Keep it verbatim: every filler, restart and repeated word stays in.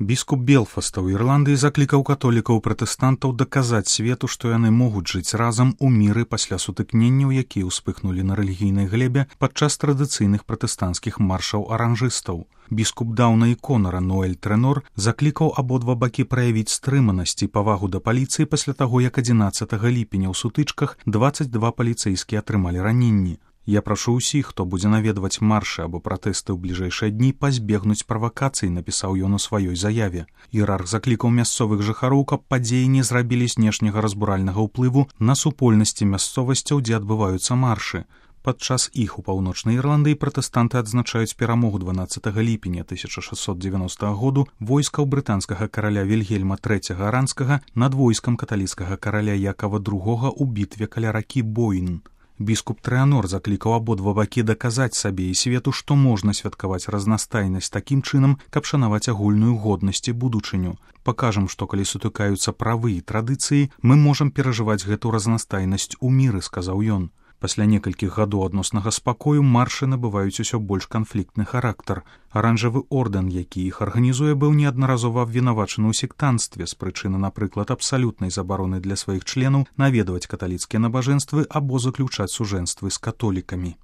Біскуп Белфаста ў Ірландыі заклікаў католікаў-пратэстантаў даказаць свету, што яны могуць жыць разам у міры пасля сутыкненняў, якія ўспыхнулі на рэлігійнай глебе падчас традыцыйных пратэстанцкіх маршаў аранжыстаў. Біскуп Даўна і Конара Ноэль Трэнор заклікаў абодва бакі праявіць стрыманасць і павагу да паліцыі пасля таго, як адзінаццатага ліпеня ў сутычках дваццаць два паліцэйскія атрымалі раненні. Я прашу ўсіх, хто будзе наведваць маршы або пратэсты ў бліжэйшыя дні, пазбегнуць правакацый, напісаў ён у сваёй заяве. Іерарх заклікаў мясцовых жыхароў, каб падзеі не зрабілі знешняга разбуральнага ўплыву на супольнасці мясцовасцяў, дзе адбываюцца маршы. Падчас іх у паўночнай Ірландыі пратэстанты адзначаюць перамогу дванаццатага ліпеня тысяча шэсцьсот дзевяностага году войскаў брытанскага караля Вільгельма трэцяга Аранскага над войскам каталіцкага караля Якава другога ў бітве каля ракі Бойн. Біскуп Трэнор заклікаў абодва бакі даказаць сабе і свету, што можна святкаваць разнастайнасць такім чынам, каб шанаваць агульную годнасць і будучыню. Пакажам, што калі сутыкаюцца правы і традыцыі, мы можам перажываць гэту разнастайнасць у міры, сказаў ён. Пасля некалькіх гадоў адноснага спакою маршы набываюць усё больш канфліктны характар. Аранжавы ордэн, які іх арганізуе, быў неаднаразова абвінавачаны ў сектанцтве з прычыны, напрыклад, абсалютнай забароны для сваіх членаў наведваць каталіцкія набажэнствы або заключаць сужэнствы з католікамі.